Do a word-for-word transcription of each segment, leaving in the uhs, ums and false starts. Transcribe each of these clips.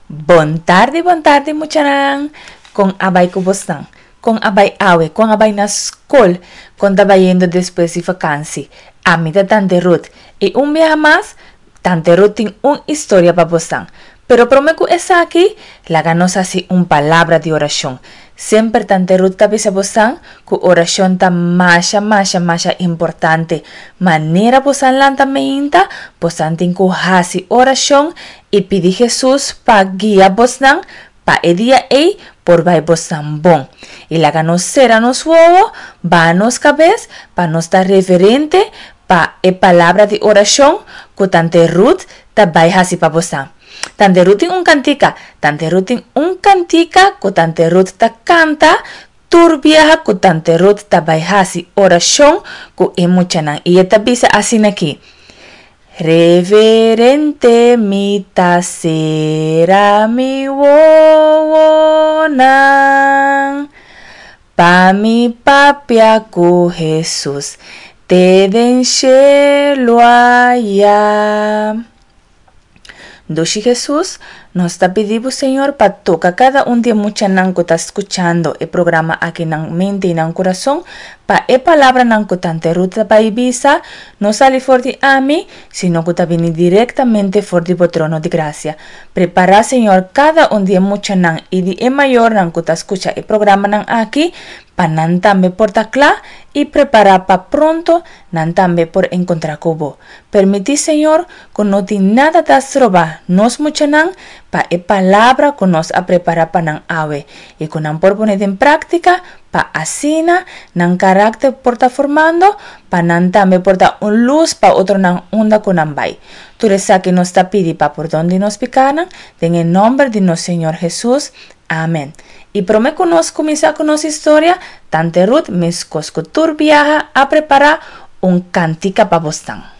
Bon tardi, bon tardi muchanan. Kon a bai ku bosnan? Kon a bai awe? Kon a bai na skol? Kon ta bayendo despues di vakansi? Ami ta Tante Ruth i un biaha mas Tante Ruth tin un historia pa bosnan. Pero promé ku esaki, laga nos hasi un palabra di orashon. Semper Tante Ruth ta bisa bosnan ku orashon ta masha masha masha importante. Manera bosan lanta meinta, bosan tin ku hasi orashon i pidi Hesus pa guia bosnan pa e dia ei por bai bosnan bon. I laga nos sera nos wowo, baha nos kabes pa nos ta reverente pa e palabra di orashon ku Tante Ruth ta bai hasi pa bosnan. Tante Ruth tin un kantika, Tante Ruth tin un kantika ku Tante Ruth ta kanta tur biaha ku Tante Ruth ta bai hasi orashon ku e muchanan i e ta bisa asin'aki, Reverente mi ta sera mi wowonan pa mi papia ku Hesus te den shelu aya. Dushi Hesus, nos ta pidi bo Señor pa toka kada un di e muchanan ku ta skuchando e programa aki nan mente i nan kurason, pa e palabranan ku Tante Ruth ta bai bisa no sali for di ami, sino ku ta bini direktamente for di bo trono di grasia. Prepará, Señor, kada un di e muchanan i di e mayornan ku ta skucha e programanan aki pa nan tambe por ta kla i prepará pa pronto nan tambe por enkontrá ku bo. Permití, Señor, ku no tin nada ta stroba nos muchanan pa e palabra ku nos a prepará pa nan awe i ku nan por pone den práktika pa asina nan karakter por ta formando pa nan tambe por ta un lus pa otronan unda ku nan bai. Tur esaki nos ta pidi pa pordon di nos pikánan, den e nòmber di nos Señor Hesus. Amen. I promé ku nos kuminsá ku nos historia, Tante Ruth meskos ku tur biaha a prepará un kantika pa bosnan.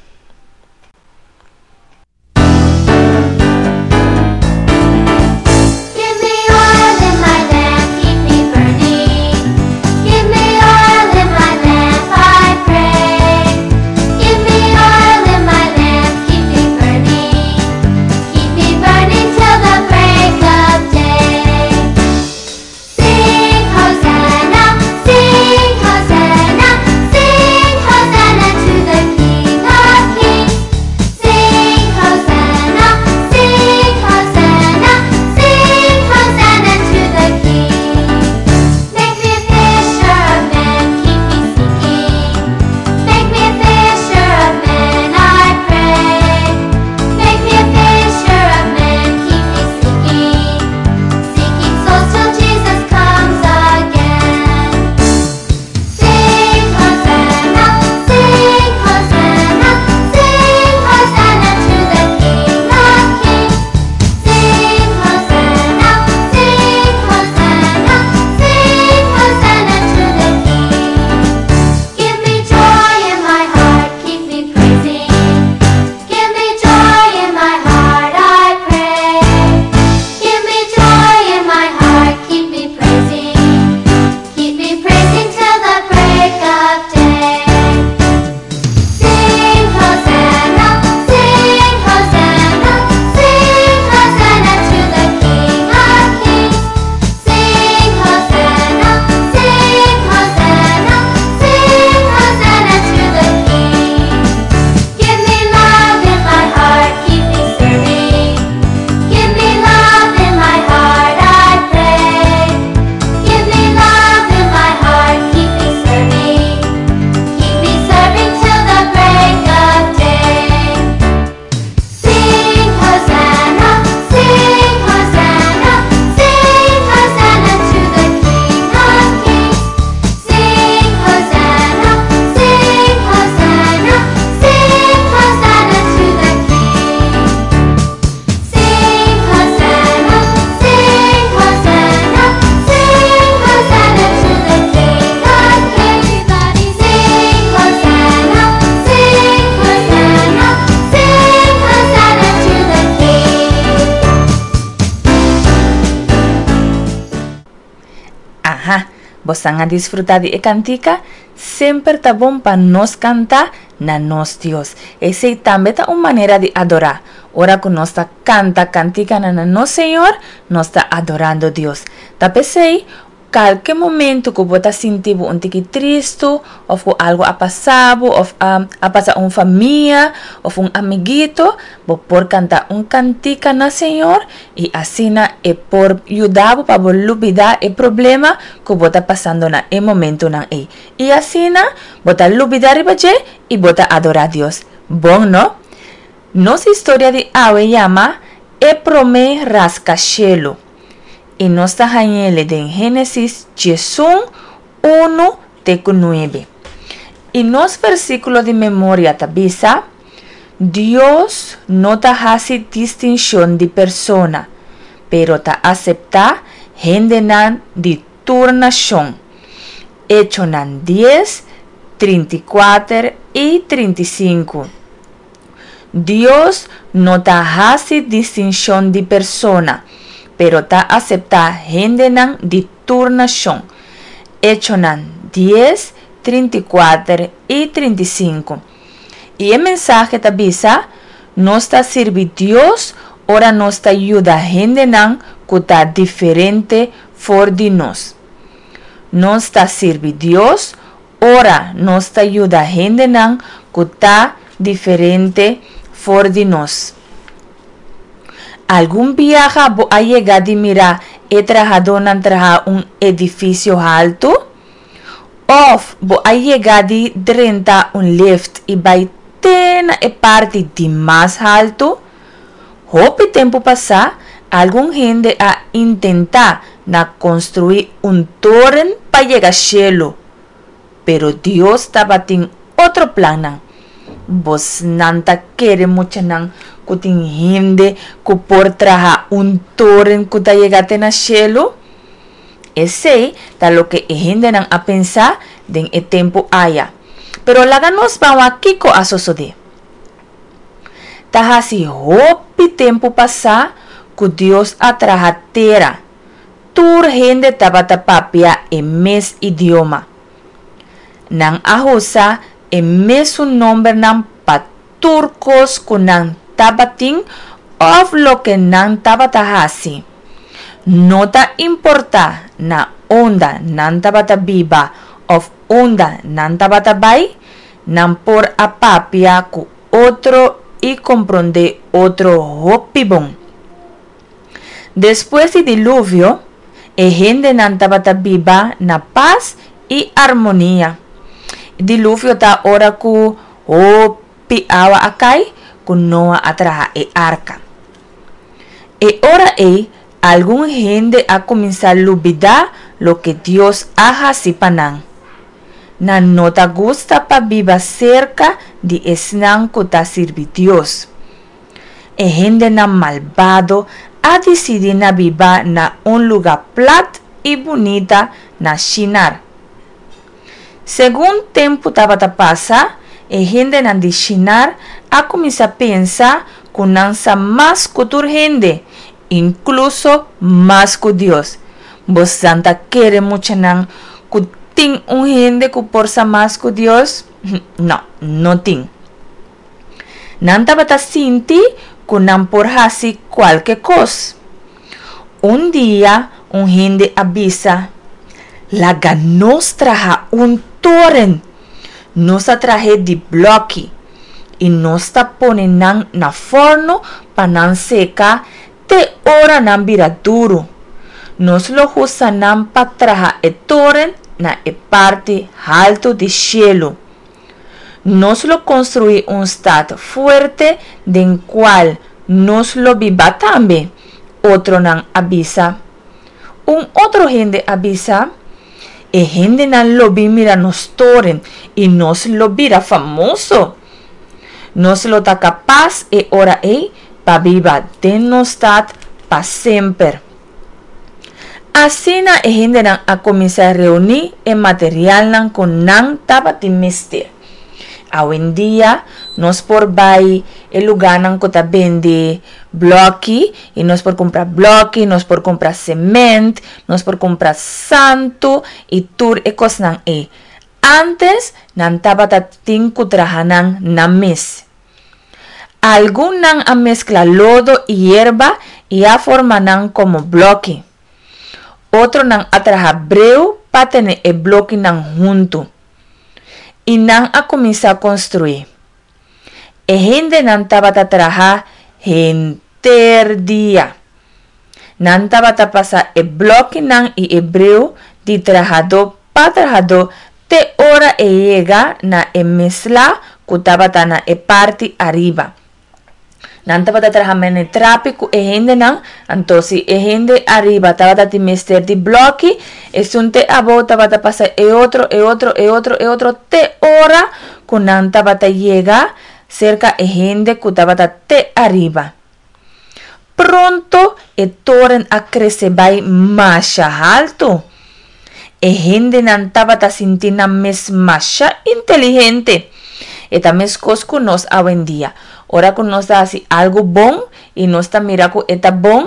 Aha, bosan a disfruta di e kantika? Semper ta bon pa nos kanta na nos Dios. Esei tambe ta un manera di adorá. Ora ku nos ta kanta kantikanan na nos Señor, nos ta adorando Dios. Ta p'esei, kalke momentu ku bo ta sinti bo un tiki tristu òf ku algu a pasa bo òf a a pasa un famia òf un amiguito, bo por kanta un kantika na Señor i asina e por yuda bo pa bo lubidá e problema ku bo ta pasando na e momentunan ei. I asina bo ta lubidá riba dje i bo ta adorá Dios. Bon no? Nos historia di awe yama E Promé Raskashelu i nos ta hañ'ele den Génesis diesun, unu te ku nuebe. I nos versíkulo di memoria ta bisa, Dios no ta hasi distinshon di persona, pero ta aseptá hendenan di tur nashon. Echonan dies, trinta i kuater i trinta i sinku. Dios no ta hasi distinshon di persona, pero ta aseptá hendenan di tur nashon. Echonan dies, trinta i kuater i trinta i sinku. I e mensahe ta bisa, Nos ta sirbi Dios ora nos ta yuda hendenan ku ta diferente for di nos. Nos ta sirbi Dios ora nos ta yuda hendenan ku ta diferente for di nos. Algun biaha bo a yega di mira e trahadónan traha un edifisio haltu? Òf bo a yega di drenta un lift i bai te na e parti di mas haltu? Hopi tempu pasá, algun hende a intentá na konstruí un toren pa yega shelu. Pero Dios tabatin otro plannan. Bosnan ta kere muchanan ku tin hende ku por traha un toren ku ta yega te na shelu? Esei ta loke e hendenan a pensa den e tempu aya. Pero laga nos ban wak kiko a sosodé. Ta hasi hopi tempu pasá ku Dios a traha tera. Tur hende tabata papia e mes idioma. Nan a usa e mesun nombernan pa tur kos ku nan tabatin òf loke nan tabata hasi. No ta importá na unda nan tabata biba òf unda nan tabata bai, nan por a papia ku otro i komprondé otro hopi bon. Despues di Diluvio, e hendenan tabata biba na pas i armonia. Diluvio ta ora ku hopi awa a kai ku Noa a traha e arka. E ora ei, algun hende a kuminsá lubidá loke Dios a hasi pa nan. Nan no ta gusta pa biba serka di esnan ku ta sirbi Dios. E hendenan malbado a disidí na biba na un lugá plat i bunita na Shinar. Segun tempu tabata pasa, e hendenan di Shinar a kuminsá pensa ku nan sa mas ku tur hende, inkluso mas ku Dios. Bosan ta kere muchanan ku tin un hende ku por sa mas ku Dios? No, no tin. Nan tabata sinti ku nan por hasi kualke kos. Un dia un hende a bisa, Laga nos traha un toren. Nos ta trah'é di blòki i nos ta pone nan na fòrnu pa nan seka te ora nan bira duru. Nos lo usa nan pa traha e toren na e parti haltu di shelu. Nos lo konstruí un stat fuerte den kual nos lo biba tambe, otronan a bisa. Un otro hende a bisa, E hendenan lo bin mira nos toren i nos lo bira famoso. Nos lo ta kapas e ora ei pa biba den nos stat pa semper. Asina e hendenan a kuminsá reuní e materialnan ku nan tabatin mester. Awendia nos por bai e lugánan ku ta bende blòki i nos por kumpra blòki, nos por kumpra semènt, nos por kumpra santu i tur e kosnan ei. Ántes nan tabata tin ku traha nan nan mes. Algun nan a meskla lodo i yerba i a forma nan komo blòki. Otronan a traha breu pa tene e blòkinan huntu. I nan a kuminsá konstruí. E hendenan tabata traha henter dia. Nan tabata pasa e blòkinan i e breu di trahadó pa trahadó te ora e yega na e mesla ku tabata na e parti ariba. Nan tabata traha mene trapi ku e hendenan, anto si e hende ariba tabata tin mester di blòki, esun te abou tabata pasa e otro, e otro, e otro, e otro, te ora ku nan tabata yega serka e hende ku tabata te ariba. Pronto e toren a krese bai masha haltu. E hendenan tabata sinti nan mes masha inteligente. E ta meskos ku nos awendia. Ora ku nos ta hasi algu bon i nos ta mira ku e ta bon,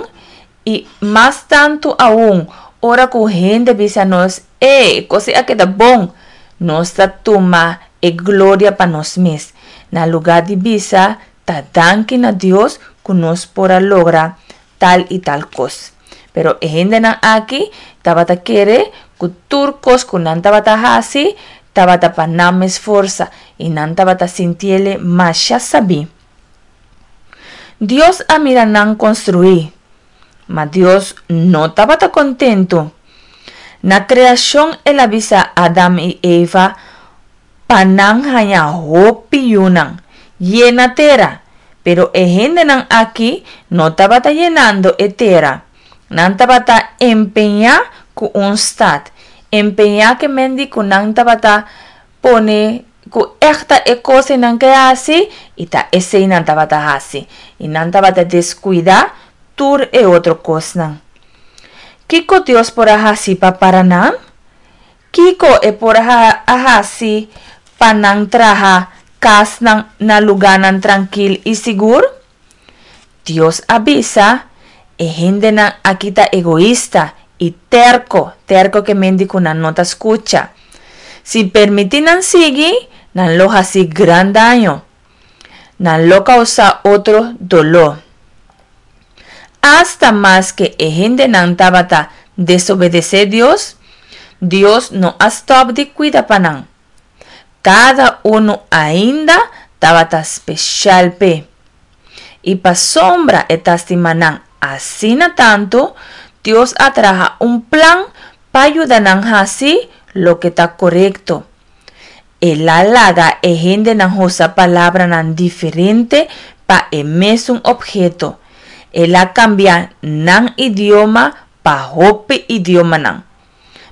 i mas tantu aun ora ku hende bisa nos, E, e kos ei a keda bon! Nos ta tuma e gloria pa nos mes, na lugá di bisa ta danki na Dios ku nos por a logra tal i tal kos. Pero e hendenan aki tabata kere ku tur kos ku nan tabata hasi tabata pa nan mes forsa i nan tabata sintiele masha sabí. Dios a mira nan konstruí, ma Dios no tabata kontentu. Na kreashon el a bisa Adam i Eva pa nan haña hopi yunan, yena tera, pero e hendenan aki no tabata yenando e tera. Nan tabata empeñá ku un stat. Empeñá ke men di ku nan tabata pone ku ègt ta e kos ei nan ke hasi i ta esei nan tabata hasi. I nan tabata deskuidá tur e otro kosnan. Kiko Dios por a hasi pa para nan? Kiko e por a hasi pa nan traha kasnan na lugánan trankil i sigur? Dios a bisa, E hendenan aki ta egoista i tèrko, tèrko ke men di ku nan no ta skucha. Si permití nan sigui, nan lo hasi gran daño. Nan lo kousá otro doló. Asta maske e hendenan tabata desobedesé Dios, Dios no a stòp di kuida pa nan. Kada unu ainda tabata speshal p'e. I pasobra e ta stima nan asina tantu, Dios a traha un plan pa yuda nan hasi loke ta korekto. El a laga e hendenan usa palabranan diferente pa e mesun opheto. El a kambia nan idioma pa hopi idiomanan.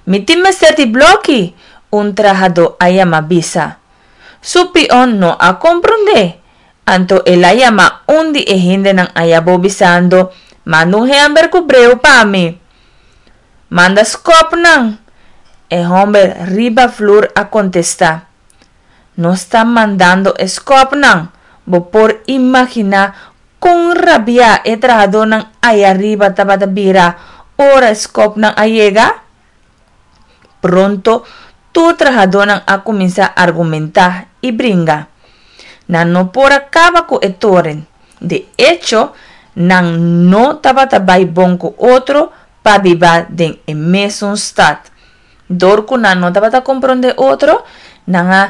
Mi tin mester di blòki! un trahadó a yama bisa. Su pion no a komprondé. Anto el a yama un di e hendenan ayabou bisando, Manda un hèmber ku breu pa mi. Manda skòpnan! E hòmber riba flur a kontestá. Nos ta mandando e skòpnan! Bo por imaginá kon rabiá e trahadónan ayariba tabata bira ora e skòpnan a yega? Pronto tur trahadónan a kuminsá argumentá i bringa. Nan no por a kaba ku e toren. De echo, nan no tabata bai bon ku otro pa biba den e mesun stat. Dor ku nan no tabata komprondé otro, nan a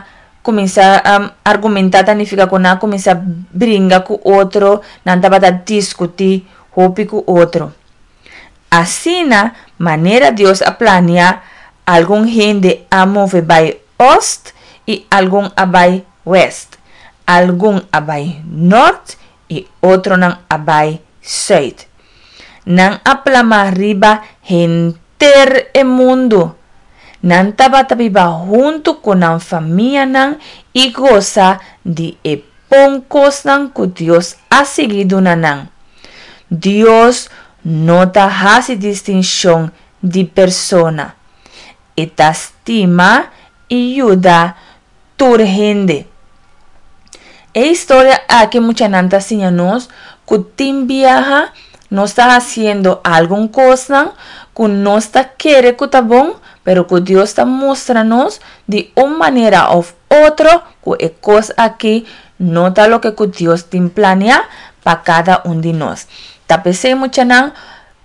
kuminsá argumentá, ta nifiká ku nan a kuminsá bringa ku otro, nan tabata diskutí hopi ku otro. Asina, manera Dios a plania, algun hende a move bai ost i algun a bai wèst, algun a bai nòrt i otronan a bai sùit. Nan a plama riba henter e mundu. Nan tabata biba huntu ku nan famianan i gosa di e bon kosnan ku Dios a sigui duna nan. Dios no ta hasi distinshon di persona. E ta stima i yuda tur hende. E historia aki muchanan ta siña nos ku tin biaha nos ta hasiendo algun kosnan ku nos ta kere ku ta bon, pero ku Dios ta mustra nos di un manera òf otro ku e kos aki no ta loke ku Dios tin plania pa kada un di nos. Ta p'esei muchanan,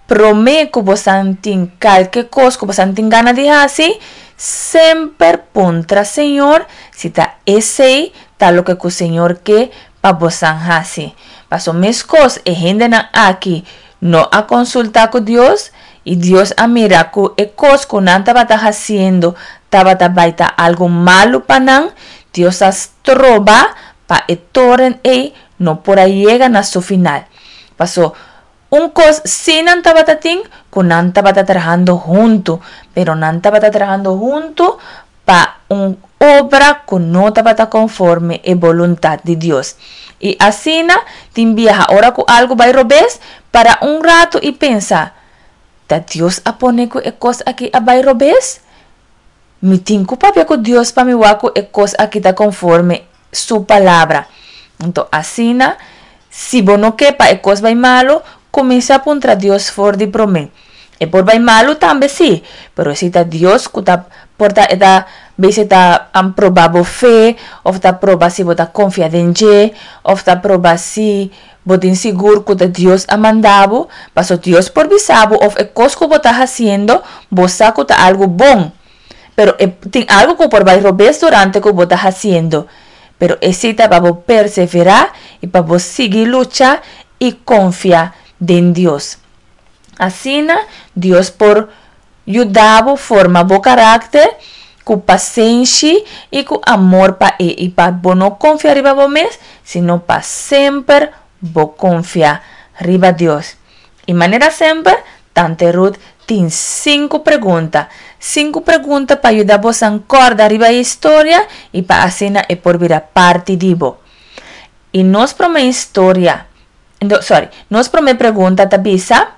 promé ku bosan tin kalke kos ku bosan tin gana di hasi, semper puntra Señor si ta esei ta loke ku Señor ke pa bosan hasi. Paso meskos e hendenan aki no a konsultá ku Dios i Dios a mira ku e kos ku nan tabata hasiendo tabata bai ta algu malu pa nan, Dios a stroba pa e toren ei no por a yega na su final. Paso un kos sí nan tabata tin, ku nan tabata trahando huntu, pero nan tabata trahando huntu pa un obra ku no tabata konforme e boluntat di Dios. I asina tin biaha ora ku algu bai robes, para un ratu i pensa, Ta Dios a pone ku e kos aki a bai robes? Mi tin ku papia ku Dios pa mi wak ku e kos aki ta konforme su palabra. Anto asina, si bo no ke pa e kos bai malu, kuminsá puntra Dios for di promé. E por bai malu tambe sí, pero si ta Dios ku ta por ta e ta bes e ta proba bo fe òf ta proba si bo ta konfia den dje òf ta proba si bo tin sigur ku ta Dios a manda bo, paso Dios por bisa bo òf e kos ku bo ta hasiendo bo sa ku ta algu bon, pero e tin algu ku por bai robes durante ku bo ta hasiendo, pero esei ta pa bo perseverá i pa bo sigui lucha i konfia den Dios. Asina Dios por yuda bo forma bo karakter ku pasenshi i ku amor pa e i pa bo no konfia riba bo mes, sino pa semper bo konfia riba Dios. I manera semper, Tante Ruth tin sinku pregunta. Sinku pregunta pa yuda bosan kòrda riba e historia i pa asina e por bira parti di bo. I nos promé historia, sorry, nos promé pregunta ta bisa,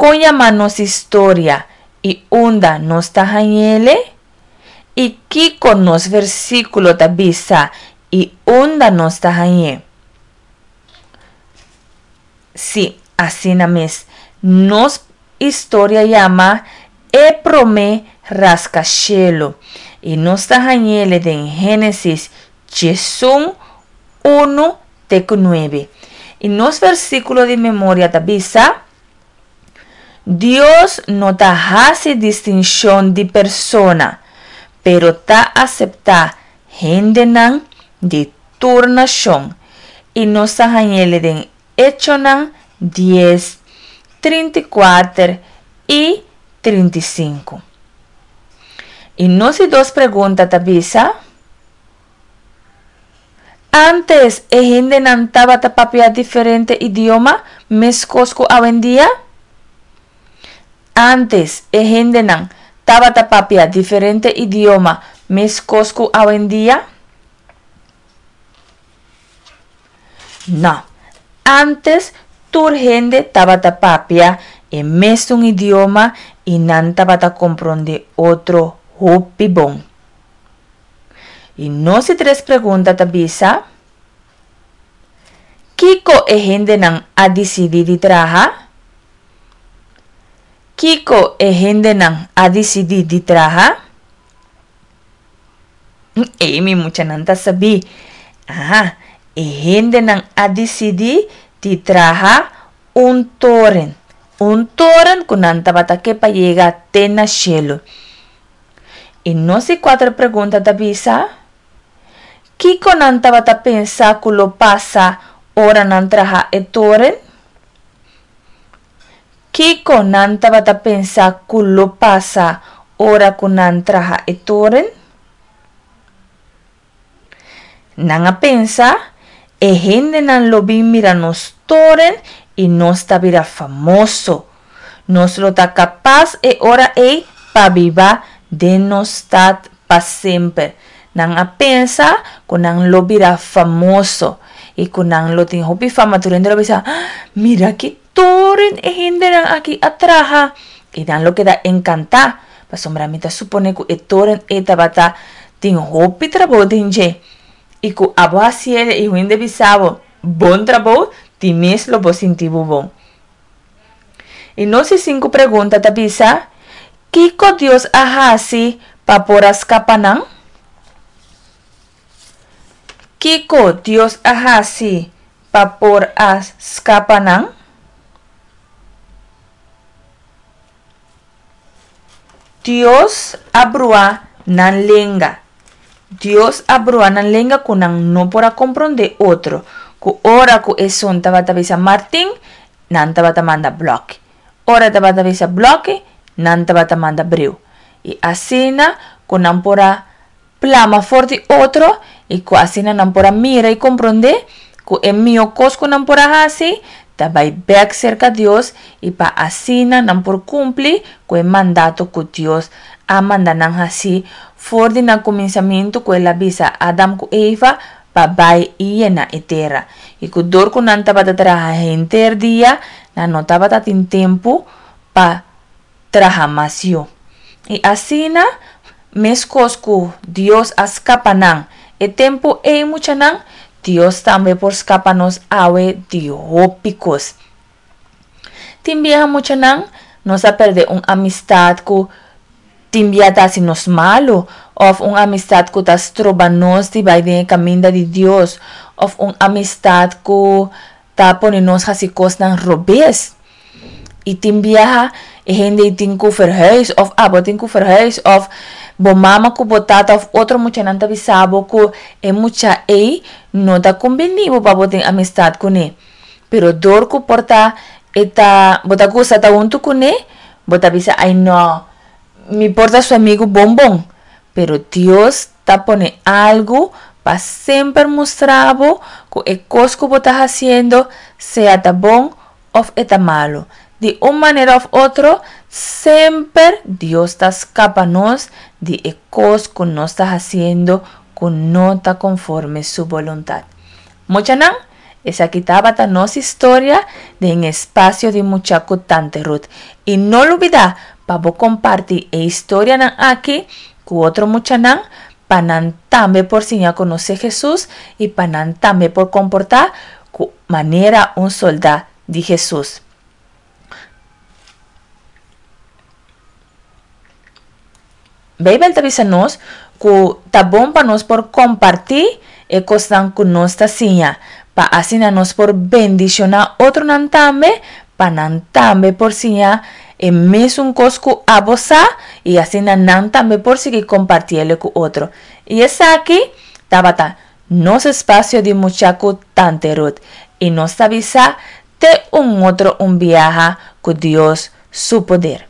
Kon yama nos historia i unda nos ta hañ'ele? I kiko nos versíkulo ta bisa i unda nos ta hañ'é? Sí, asina mes. Nos historia yama E Promé Raskashelu i nos ta hañ'ele den Génesis diesun, unu te ku nuebe. I nos versíkulo di memoria ta bisa, Dios no ta hasi distinshon di persona, pero ta aseptá hendenan di tur nashon. I nos ta hañ'ele den Echonan dies, trinta i kuater i trinta i sinku. I nos di dos pregunta ta bisa, Ántes e hendenan tabata papia diferente idioma meskos ku awendia? Ántes e hendenan tabata papia diferente idioma meskos ku awendia? Nò. Ántes tur hende tabata papia e mesun idioma i nan tabata komprondé otro hopi bon. I nos di tres pregunta ta bisa, Kiko e hendenan a disidí di traha? Kiko e hendenan a disidí di traha? Ei, mi muchanan ta sabí. Aha, e hendenan a disidí di traha un toren. Un toren ku nan tabata ke pa yega te na shelu. I nos di kuater pregunta ta bisa, Kiko nan tabata pensa ku lo pasa ora nan traha e toren? Kiko nan tabata pensa ku lo pasa ora ku nan traha e toren? Nan a pensa, E hendenan lo bin mira nos toren i nos ta bira famoso. Nos lo ta kapas e ora ei pa biba den nos stat pa semper. Nan a pensa ku nan lo bira famoso i ku nan lo tin hopi fama. Tur hende lo bisa, Mira ki toren e hendenan aki a traha! I nan lo keda enkantá, pasobra mi ta suponé ku e toren ei tabata tin hopi trabou den dje. I ku abo hasié i hende bisa bo, Bon trabou, ti mes lo bo sinti bo bon. I nos di sinku pregunta ta bisa, Kiko Dios a hasi pa por a skapa nan? Kiko Dios a hasi pa por a skapa nan? Dios a brua nan lenga. Dios a brua nan lenga ku nan no por a komprondé otro. Ku ora ku esun tabata bisa Martin, nan tabata manda blòki. Ora tabata bisa blòki, nan tabata manda breu. I asina ku nan por a plama for di otro i ku asina nan por a mira i komprondé ku e mihó kos ku nan por a hasi ta bai bèk serka Dios i pa asina nan por kumpli ku e mandato ku Dios a manda nan hasi for di na kuminsamentu ku el a bisa Adam ku Eva pa bai i yena e tera. I ku dor ku nan tabata traha henter dia, nan no tabata tin tempu pa traha mas yu. I asina, meskos ku Dios a skapa nan e tempu ei muchanan, Dios tambe por skapa nos awe di hopi kos. Tin biaha muchanan, nos a pèrdè un amistat ku tin bia ta hasi nos malu, òf un amistat ku ta stroba nos di bai den e kaminda di Dios, òf un amistat ku ta pone nos hasi kosnan robes. I tin biaha e hende ei tin ku verhuis òf abo tin ku verhuis òf bo mama ku bo tata òf otro muchanan ta bisa bo ku e mucha ei no ta kumbiní bo pa bo tin amistat kuné. Pero dor ku por ta e ta bo ta gusta ta huntu kuné, bo ta bisa ai nò, mi por ta su amigu bon bon. Pero Dios ta pone algu pa semper mustra bo ku e kos ku bo ta hasiendo sea ta bon òf e ta malu. Di un manera òf otro, semper Dios ta skapa nos di e kos ku nos ta hasiendo ku no ta konforme su boluntat. Muchanan, esaki tabata nos historia den Espasio di Mucha ku Tante Ruth. I no lubidá pa bo kompartí e historianan aki ku otro muchanan pa nan tambe por siña konosé Hesus i pa nan tambe por komportá ku manera un soldá di Hesus. Beibel ta bisa nos ku ta bon pa nos por kompartí e kosnan ku nos ta siña, pa asina nos por bendishoná otronan tambe, pa nan tambe por siña e mesun kos ku abo sa i asina nan tambe por sigui kompartiel ku otro. I esaki tabata nos espasio di mucha ku Tante Ruth i nos ta bisa te un otro un biaha ku Dios su poder.